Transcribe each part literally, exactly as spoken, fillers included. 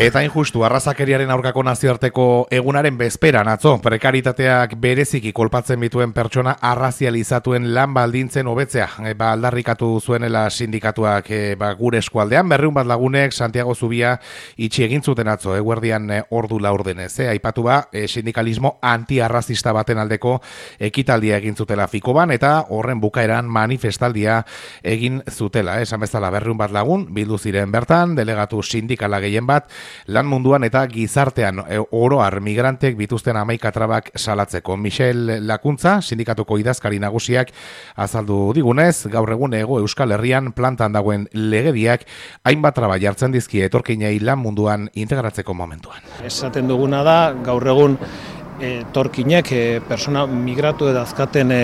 Eta injustu, arrazakeriaren aurkako nazioarteko egunaren bezperan atzo, prekaritateak bereziki kolpatzen bituen pertsona arrazializatuen lan baldintzen hobetzea. E, ba, aldarrikatu zuenela sindikatuak e, ba, gure eskualdean, berreun bat lagunek Santiago Zubia itxi egin zuten atzo, eguerdian e, ordu laurdenez. E, aipatu ba, e, sindikalismo antiarrazista baten aldeko ekitaldia egin zutela Fikoban, eta horren bukaeran manifestaldia egin zutela. Esan bezala berreun bat lagun, bildu ziren bertan, delegatu sindikala gehien bat, lan munduan eta gizartean e, oroar migrantek bituzten hamaika trabak salatzeko. Michel Lakuntza, sindikatuko idazkari nagusiak azaldu digunez, gaur egun Hego Euskal Herrian plantan dagoen legediak hainbat traba jartzen dizkie etorkinei lan munduan integratzeko momentuan. Esaten duguna da, gaur egun etorkinek e, persona migratu edo azkaten e,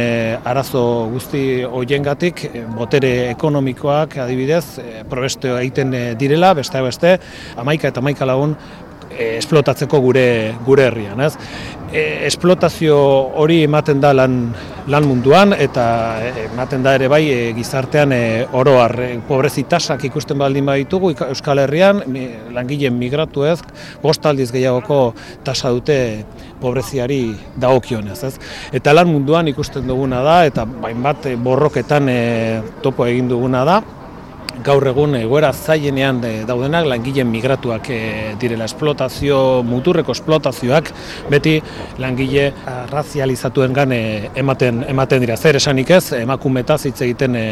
arazo guzti hoiengatik e, botere ekonomikoak adibidez e, probesteo egiten e, direla, beste beste, hamaika eta hamaika lagun e, esplotatzeko gure gure herrian, ez? E, esplotazio hori ematen da lan, lan munduan eta ematen da ere bai e, gizartean e, oroar e, pobrezi tasak ikusten baldin baditugu Euskal Herrian mi, langileen migratu ez bost aldiz gehiagoko tasa dute pobreziari dagokionez, ez? Eta lan munduan ikusten duguna da eta hainbat borroketan e, topo egin duguna da. Gaur egun egoera zailenean daudenak langileen migratuak e, direla esplotazio, muturreko esplotazioak beti langile arrazializatuengan e, ematen ematen dira. Zer esanik ez, emakumetaz hitz egiten e,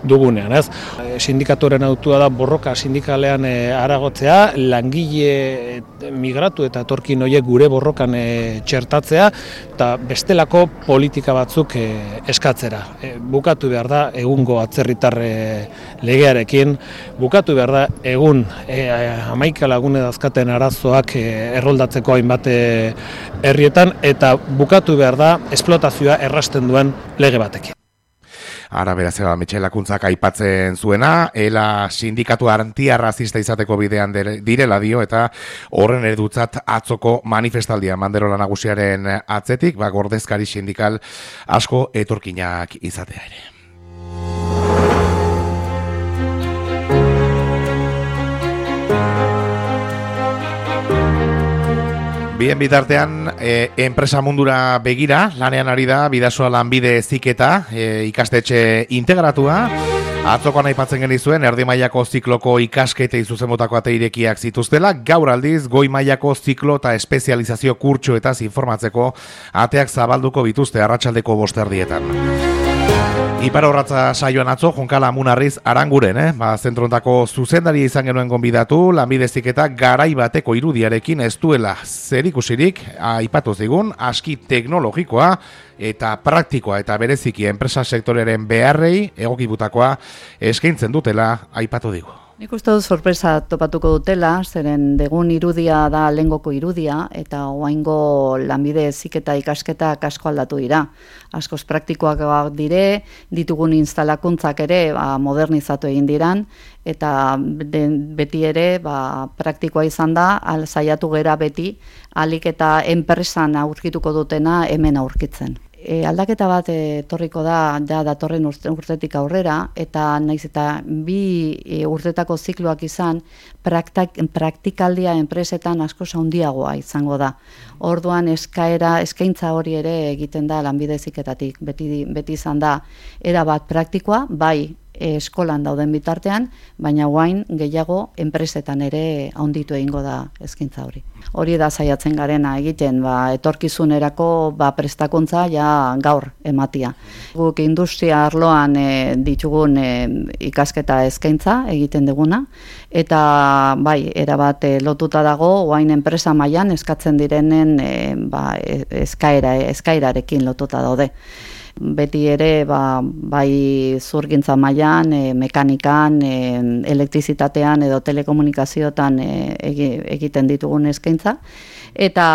dugunean, ez? E, sindikatuaren autua da borroka sindikalean e, aragotzea, langile migratu eta etorkin horiek gure borrokan e, txertatzea eta bestelako politika batzuk e, eskatzera. E, bukatu behar da egungo atzerritar e, legearen bukatu behar da egun e, hamaika lagune dazkaten arazoak e, erroldatzeko hainbat herrietan eta bukatu behar da esplotazioa errasten duen lege batekin. Ara beraz, Michel Lakuntzak aipatzen zuena, ela sindikatu antiarrazista izateko bidean direla dio eta horren eredutzat atzoko manifestaldia Manderola nagusiaren atzetik, ba, gordezkari sindikal asko etorkinak izatea ere. Bien bitartean, e, enpresa mundura begira, lanean ari da, Bidasoa lanbide heziketa, e, ikastetxe integratua. Atzokoan aipatzen genizuen, erdi mailako zikloko ikasketei zuzenbotako ate irekiak zituztela, gaur aldiz, goi mailako ziklo eta espezializazio kurtsoetaz informatzeko ateak zabalduko bituzte arratsaldeko bosterdietan. Ipar horratza saioan atzo, Jonkala Munarriz Aranguren, eh? Ba, zentrontako zuzendaria izan genuen gonbidatu, lanbide heziketa garai bateko irudiarekin ez duela zerikusirik, aipatu zigun, aski teknologikoa eta praktikoa eta bereziki enpresa sektorearen beharrei egokibutakoa eskaintzen dutela aipatu digu. Nik uste dut sorpresa topatuko dutela, zeren degun irudia da lehengoko irudia, eta oraingo lanbide heziketa ikasketak asko aldatu dira. Askoz praktikoak dire, ditugun instalakuntzak ere ba, modernizatu egin diran, eta de, beti ere ba, praktikoa izan da, al, saiatu gera beti, alik eta enpresan aurkituko dutena hemen aurkitzen. E, aldaketa bat etorriko da, da datorren urtetik aurrera, eta naiz eta bi e, urtetako zikloak izan, praktak, praktikaldia enpresetan asko handiagoa izango da. Orduan eskaera, eskaintza hori ere egiten da lanbide heziketatik, beti, beti izan da, era bat praktikoa, bai eskolan dauden bitartean, baina guain gehiago enpresetan ere handitu egingo da eskaintza hori. Hori da saiatzen garena egiten, ba, etorkizunerako ba, prestakuntza ja gaur ematia. Guk industria arloan e, ditugun e, ikasketa eskaintza egiten duguna, eta bai, erabat e, lotuta dago, guain enpresa mailan eskatzen direnen e, ba, eskaera, eskairarekin lotuta daude. Beti ere ba, bai zurgintza mailan, e, mekanikan, e, elektrizitatean edo telekomunikazioetan e, egiten ditugun eskaintza. Eta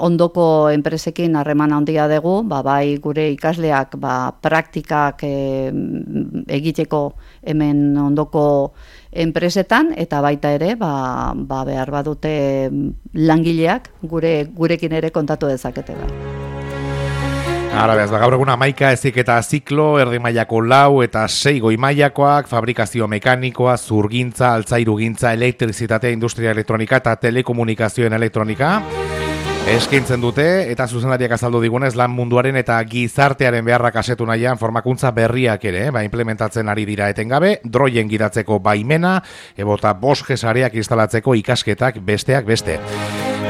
ondoko enpresekin harreman handia dugu, ba, bai gure ikasleak ba, praktikak e, egiteko hemen ondoko enpresetan, eta baita ere ba, ba, behar badute langileak gure, gurekin ere kontatu dezakete. Bai. Ara behaz, gaur egun hamaika heziketa ziklo, erdi mailako lau eta sei goi mailakoak, fabrikazio mekanikoa, zurgintza, altzairugintza, elektrizitatea, industria elektronika eta telekomunikazioen elektronika eskaintzen dute, eta zuzendariak azaldu digunez lan munduaren eta gizartearen beharrak asetu nahian formakuntza berriak ere, ba, implementatzen ari dira etengabe, droien gidatzeko baimena, ebota boske sareak instalatzeko ikasketak besteak beste.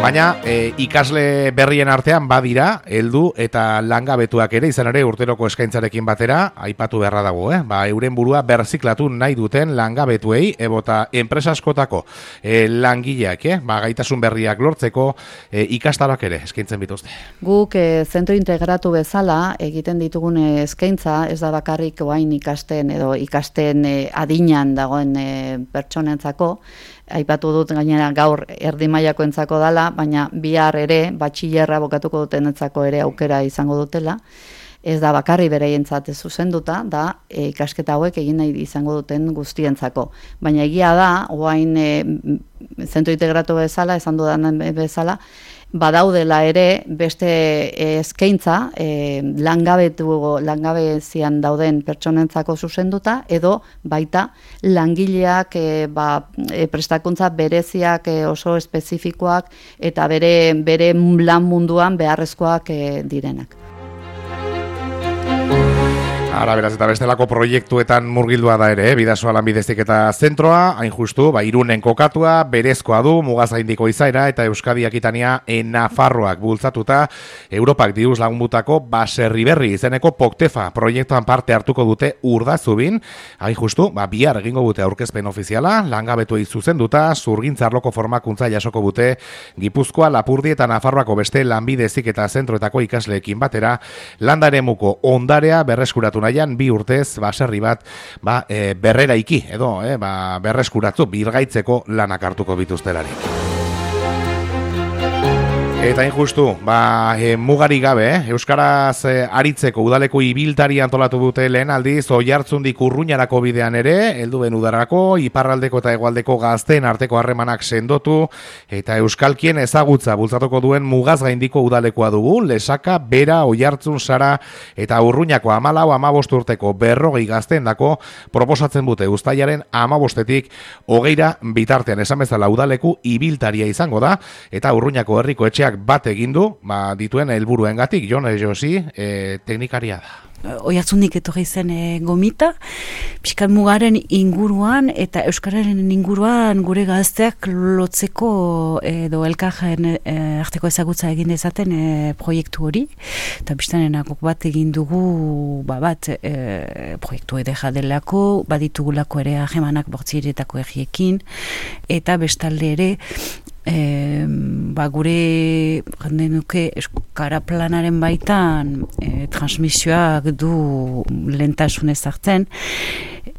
Baina e, ikasle berrien artean badira, heldu eta langabetuak ere, izan ere urteroko eskaintzarekin batera, aipatu beharra dago, eh? Ba, euren burua berziklatu nahi duten langabetuei, ebota enpresa askotako e, langileak, eh? Ba, gaitasun berriak lortzeko e, ikastaroak ere eskaintzen bituzte. Guk e, zentro integratu bezala egiten ditugun eskaintza, ez da bakarrik oain ikasten edo ikasten e, adinan dagoen e, pertsonentzako, aipatu dut gainera gaur erdi mailakoentzako dala, baina bihar ere batxillerra bokatuko dutenentzako ere aukera izango dutela. Ez da bakarri bereientzat zuzenduta, da e, ikasketa hauek egin nahi izango duten guztientzako. Baina egia da, oain e, zentro integratu bezala, esan dudan bezala, badaudela ere beste eskaintza e, langabetu langabezian dauden pertsonentzako zuzenduta edo baita langileak e, ba, e, prestakuntza bereziak e, oso espezifikoak eta bere bere lan munduan beharrezkoak e, direnak. Ara, beraz, eta bestelako proiektuetan murgildua da ere, eh? Bidasoa lanbideztik eta zentroa, hain justu, ba, Irunen kokatua, berezkoa du, mugazaindiko izaera, eta Euskadi Akitania e Nafarroak bultzatuta, Europak diruz lagunbutako baserri berri izeneko Poktefa proiektuan parte hartuko dute Urdazubin, hain justu, ba, bihar egingo dute aurkezpen ofiziala, langabetuei zuzenduta, zurgintzarloko formakuntza jasoko dute Gipuzkoa, Lapurdi eta Nafarroako beste lanbidezik eta zentroetako ikasleekin batera, landaremuko ondarea berreskuratu nahian bi urtez baserri bat ba, e, berreraiki edo e, ba, berreskuratzu birgaitzeko lanak hartuko bituztelarik. Eta injustu, ba, e, mugari gabe, eh? Euskaraz e, aritzeko udaleko ibiltari antolatu dute lehen aldiz, Oiartzundik Urruñarako bidean ere, helduen udarako, iparraldeko eta hegoaldeko gazteen arteko harremanak sendotu, eta euskalkien ezagutza bultzatuko duen mugaz gaindiko udalekoa dugu, Lesaka, Bera, Oiartzun, Sara, eta Urruñako hamalau hamabost urteko berrogei gazteendako proposatzen dute uztailaren hamabostetik hogeira bitartean esan bezala udaleku ibiltaria izango da, eta Urruñako herriko etxeak bat egin du, ba, dituen helburuengatik. Jon Josi, e, teknikaria da. Oiartzundik etorri zen e, gomita, pixkat mugaren inguruan eta euskararen inguruan gure gazteak lotzeko edo elkarren e, arteko ezagutza egin dezaten e, proiektu hori, eta biztanenakok bat egin dugu ba, bat e, proiektu edera delako, baditugulako ere ahemanak bortzieretako erriekin, eta bestalde ere E, ba, gure nuke euskara planaren baitan e, transmisioak du lehentasunez hartzen,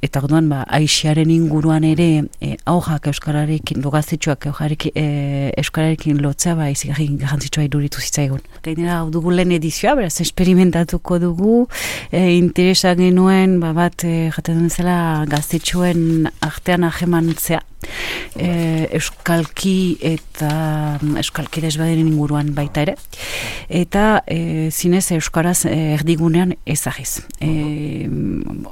eta orduan ba, aixiaren inguruan ere e, aurrak euskararekin, lugazitxoak e, euskararekin lotzea ba, izigarri garrantzitsua iduritu zitzaigun. Gainera hau dugu lehen edizioa, beraz esperimentatuko dugu, e, interesa genuen ba, bat e, jaten duen zela gaztetxoen artean ahemantzea. E, euskalki eta euskalki desbaderen inguruan baita ere, eta e, zinez euskaraz e, erdigunean ezagiz. E,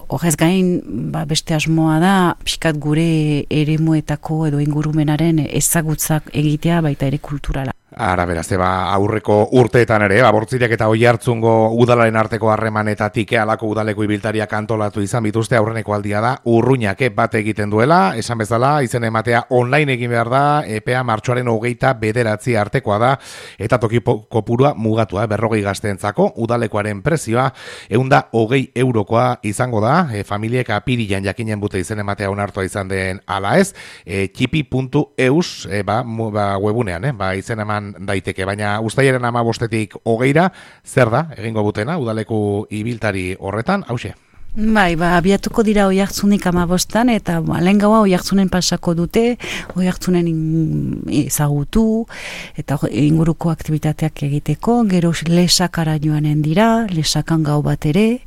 horrez gain ba, beste asmoa da pixkat gure eremuetako edo ingurumenaren ezagutzak egitea baita ere kulturala. Ara, beraz, eba, aurreko urteetan ere, Bortziriak eta Oiartzungo udalaren arteko harremanetatik halako udaleko ibiltariak antolatu izan bituzte, aurreneko aldia da, Urruñak bat egiten duela, esan bezala, izen ematea online egin behar da, epea martxoaren hogeita bederatzi artekoa da, eta toki kopurua mugatua, berrogei gazteentzako, udalekoaren prezioa, eunda hogei eurokoa izango da, e, familiek apirian jakinen bute izen ematea onartua izan den ala ez, e, txipi puntu eus, e, ba, mu, ba, webunean, eh, ba, izen eman daiteke, baina uztailaren hamabostetik hogeira, zer da, egingo butena, udaleku ibiltari horretan, hauxe. Bai, ba, abiatuko dira Oiartzunik hamabostan, eta ba, lehen gaua Oiartzunen pasako dute, Oiartzunen ezagutu, eta inguruko aktivitateak egiteko, gero Lesakara joanen dira, Lesakan gau bat ere,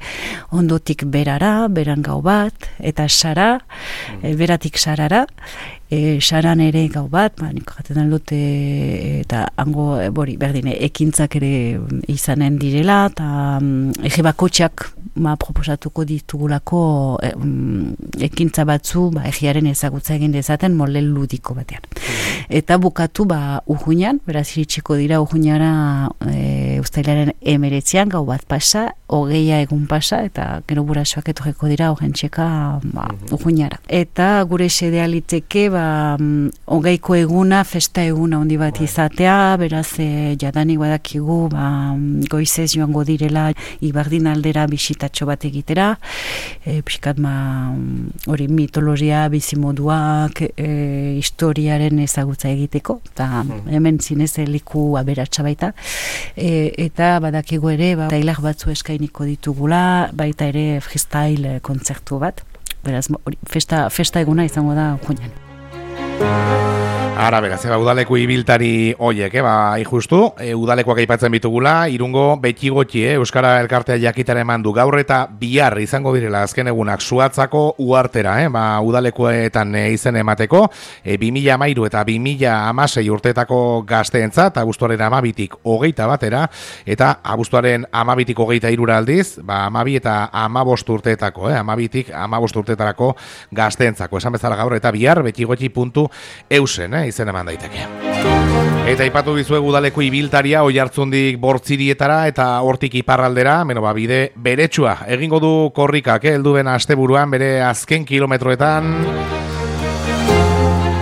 ondotik Berara, Beran gau bat, eta Sara, mm. beratik Sarara, E, saran ere gau bat, ba, nik jaten dut e, eta hango e, bori, berdine, ekintzak ere izanen direla, eta um, ege bakotxak ma proposatuko ditugulako e, um, ekintza batzu ba, egiaren ezagutza egin dezaten mole ludiko batean. Eta bukatu ba, urruñan, beraz iritsiko dira urruñara e, ustailaren emeretzean, gau bat pasa, hogeia egun pasa, eta gero burasoak etorreko dira horren txeka ba, urruñara. Eta gure sedea liteke ba, hogeiko eguna, festa eguna handi bat izatea, beraz e, jadanik badakigu ba, goizez joango direla Ibardin aldera bisitatxo bat egitera, e, pixkat ma hori mitologia, bizimoduak, e, historiaren ezagutza egiteko, eta hemen zinez liku aberatsa baita, e, eta badakigu ere ba, tailar batzu eskainiko ditugula, baita ere freestyle kontzertu bat, beraz hori, festa, festa eguna izango da juinan. Ara, beraz, eba, udaleku ibiltari oiek, eba, justu, e, udalekoak aipatzen bitugula, Irungo beti gotxi, eh, Euskara Elkartea jakitara eman du gaur eta bihar izango direla azken egunak Suatzako uartera, eh, ba, udalekoetan e, izen emateko, e, bi mila hamairu eta bi mila hamasei urteetako gazteentzat, abuztuaren amabitik hogeita batera, eta abuztuaren amabitik hogeita irura aldiz, ba, amabi eta amabost urteetako, eh, amabitik amabost urteetarako gazteentzako, esan bezala gaur eta bihar beti gotxi puntu eusen, eh, izen eman daiteke. Eta ipatu dizuegu udaleku ibiltaria Oiartzundik Bortzirietara eta hortik iparraldera, beno ba bide beretsua egingo du korrikak, eh, heldu den asteburuan bere azken kilometroetan.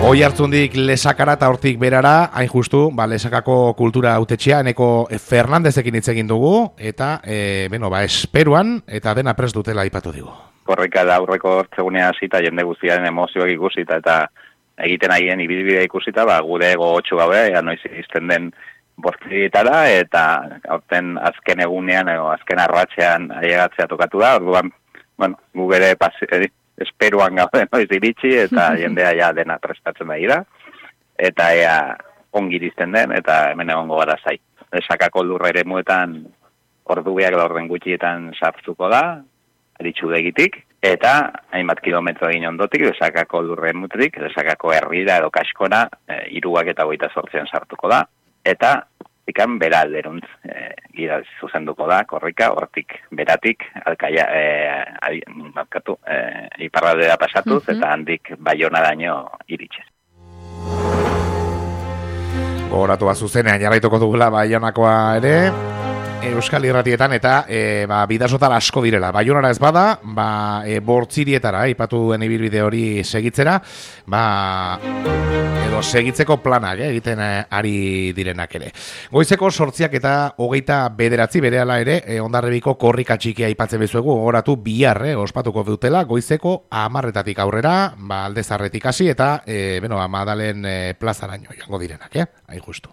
Oiartzundik Lesakara eta hortik berara, hain justu, ba, Lesakako kultura hautetxea, eneko Fernandezekin hitz egin dugu, eta, e, beno, ba, esperuan, eta dena prest dutela ipatu digu. Korrika da aurreko hortzegunea hasita jende guztiaren emozioak ikusita, eta egiten haien ibilbidea ikusita, ba, gure gogotxu gabe, ea noiz izten den Bortzirietara, eta aurten azken egunean, edo azken arratxean ailegatzea tokatu da, orduan, bueno, gu bere pasi, esperuan gaude noiz iritsi, eta jendea ja dena prestatzen da ira, eta ea ongi irizten den, eta hemen egongo gara zai. Lesakako lurra ere muetan ordubiak laurden gutxietan sartzuko da, aritxudegitik, eta hainbat kilometro egin ondotik, Lesakako lurren mutetik, Lesakako herrira edo kaskona, e, iruak eta goita sortzean sartuko da, eta ikan bera alderuntz e, gira zuzenduko da, korrika, hortik beratik, alkaia, e, markatu, e, iparraldera pasatuz, mm-hmm. eta handik Baionaraino iritxez. Gogoratu bat zuzenean, jarraituko dugula Baionakoa ere, Euskal Irratietan eta e, ba, bidasotara asko direla. Baionara ez bada, ba, e, Bortzirietara, ipatu duen ibilbide hori segitzera, ba, edo segitzeko planak eh, egiten eh, ari direnak ere. Goizeko sortziak eta hogeita bederatzi berehala ere, e, Hondarribiko korrika txikia aipatzen bezuegu, gogoratu bihar, eh, ospatuko dutela, goizeko hamarretatik aurrera, ba, Aldezarretik hasi eta, e, beno, Madalen e, plazaraino joango direnak, eh? Hain justu.